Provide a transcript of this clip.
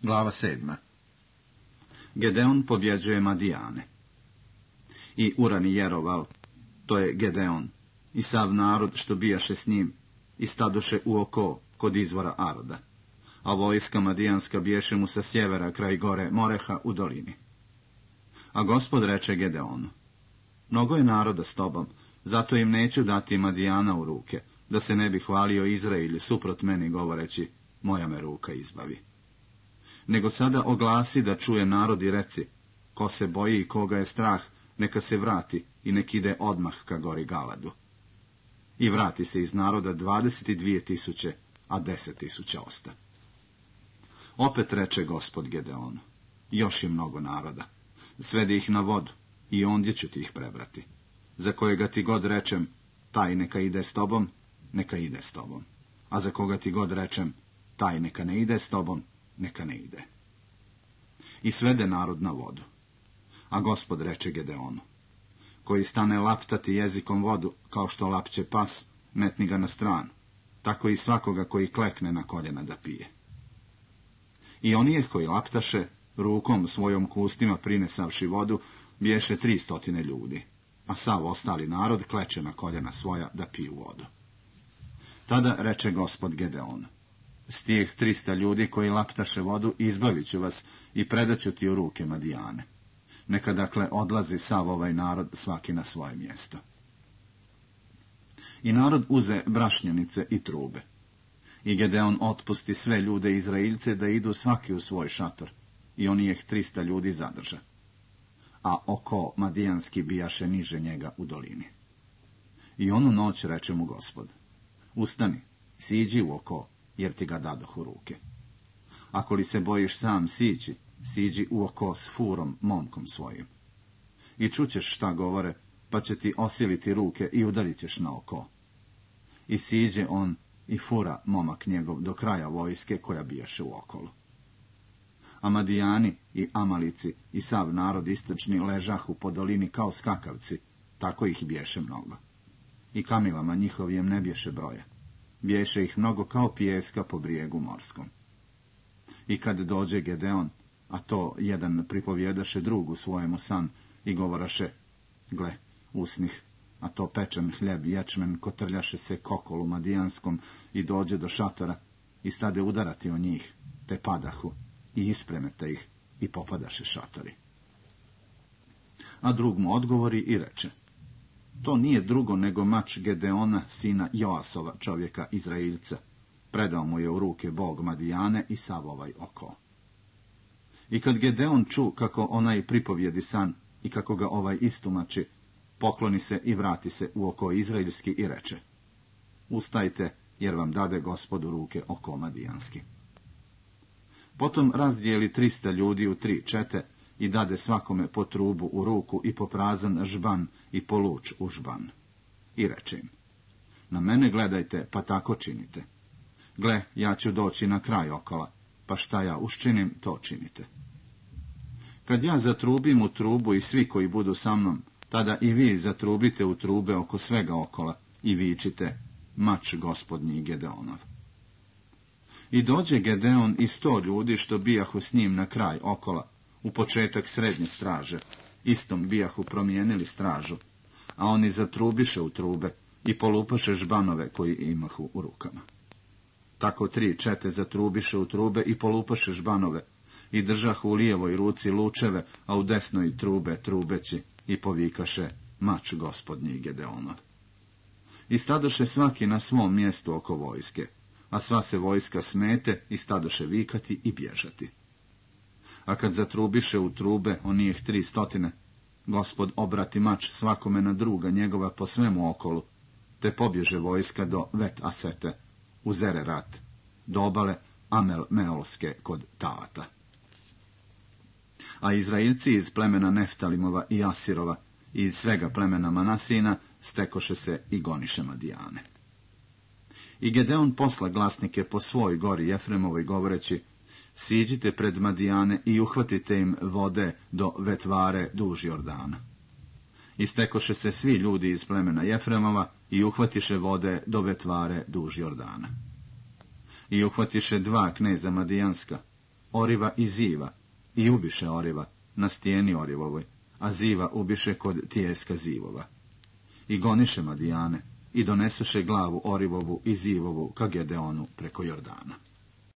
Glava 7. Gedeon pobjeđuje Madijane. I urani Jeroval, to je Gedeon, i sav narod što bijaše s njim, i stadoše u oko kod izvora Aroda, a vojska Madijanska biješe mu sa sjevera kraj gore Moreha u dolini. A Gospod reče Gedeonu, mnogo je naroda s tobom, zato im neću dati Madijana u ruke, da se ne bi hvalio Izrael suprot meni govoreći, moja me ruka izbavi. Nego sada oglasi da čuje narod i reci, ko se boji i koga je strah, neka se vrati i nek ide odmah ka gori Galadu. I vrati se iz naroda 22.000, a 10.000 osta. Opet reče Gospod Gedeonu, još i mnogo naroda, svedi ih na vodu i ondje ću ti ih prebrati. Za kojega ti god rečem, taj neka ide s tobom, neka ide s tobom. A za koga ti god rečem, taj neka ne ide s tobom, neka ne ide. I svede narod na vodu. A Gospod reče Gedeonu, koji stane laptati jezikom vodu, kao što lapće pas, metni ga na stranu, tako i svakoga koji klekne na koljena da pije. I onijeh koji laptaše, rukom svojom kustima prinesavši vodu, biješe 300 ljudi, a sav ostali narod kleče na koljena svoja da piju vodu. Tada reče Gospod Gedeonu, s tih 300 ljudi koji laptaše vodu izbavit ću vas i predaću ti u ruke Madijane. Neka dakle odlazi sav ovaj narod svaki na svoje mjesto. I narod uze brašnjenice i trube. I Gedeon otpusti sve ljude Izraelce da idu svaki u svoj šator, i onijeh 300 ljudi zadrža. A oko Madijanski bijaše niže njega u dolini. I onu noć reče mu Gospod, ustani, siđi u oko, jer ti ga dadoh u ruke. Ako li se bojiš sam sići, siđi u oko s Furom, momkom svojim. I čućeš šta govore, pa će ti osiliti ruke i udarit ćeš na oko. I siđe on i Fura, momak njegov, do kraja vojske koja bijaše u okolu. A Madijani i Amalici i sav narod istočni ležahu po dolini kao skakavci, tako ih biješe mnogo. I kamilama njihovijem ne biješe broja. Biješe ih mnogo kao pijeska po brijegu morskom. I kad dođe Gedeon, a to jedan pripovjedaše drugu svojemu san i govoraše, gle, usnih, a to pečen hljeb ječmen kotrljaše se kokolu Madijanskom i dođe do šatora i stade udarati o njih, te padahu i ispremete ih i popadaše šatori. A drug mu odgovori i reče, to nije drugo nego mač Gedeona, sina Joasova, čovjeka Izraelca. Predao mu je u ruke Bog Madijane i sav ovaj oko. I kad Gedeon ču kako onaj pripovjedi san i kako ga ovaj istumači, pokloni se i vrati se u oko izraelski i reče, ustajte, jer vam dade Gospod u ruke oko Madijanski. Potom razdijeli 300 ljudi u 3 čete i dade svakome po trubu u ruku i po prazan žban i po luč u žban. I reče im, na mene gledajte, pa tako činite. Gle, ja ću doći na kraj okola, pa šta ja uščinim, to činite. Kad ja zatrubim u trubu i svi koji budu sa mnom, tada i vi zatrubite u trube oko svega okola i vičite, mač Gospodnji Gedeonov. I dođe Gedeon i 100 ljudi što bijahu s njim na kraj okola, u početak srednje straže, istom bijahu promijenili stražu, a oni zatrubiše u trube i polupaše žbanove koji imahu u rukama. Tako 3 čete zatrubiše u trube i polupaše žbanove, i držahu u lijevoj ruci lučeve, a u desnoj trube trubeći, i povikaše, mač Gospodnji Gedeonov. I stadoše svaki na svom mjestu oko vojske, a sva se vojska smete i stadoše vikati i bježati. A kad zatrubiše u trube onijeh 300, Gospod obrati mač svakome na druga njegova po svemu okolu, te pobježe vojska do Vet Asete, u Zererat, do obale Amel Meolske kod Taata. A Izraelci iz plemena Neftalimova i Asirova i iz svega plemena Manasina stekoše se i goniše Madijane. I Gedeon posla glasnike po svoj gori Jefremovoj govoreći, siđite pred Madijane i uhvatite im vode do Vetvare duž Jordana. I stekoše se svi ljudi iz plemena Jefremova i uhvatiše vode do Vetvare duž Jordana. I uhvatiše 2 kneza Madijanska, Oriva i Ziva, i ubiše Oriva na stijeni Orivovoj, a Ziva ubiše kod tijeska Zivova. I goniše Madijane, i donesuše glavu Orivovu i Zivovu ka Gedeonu preko Jordana.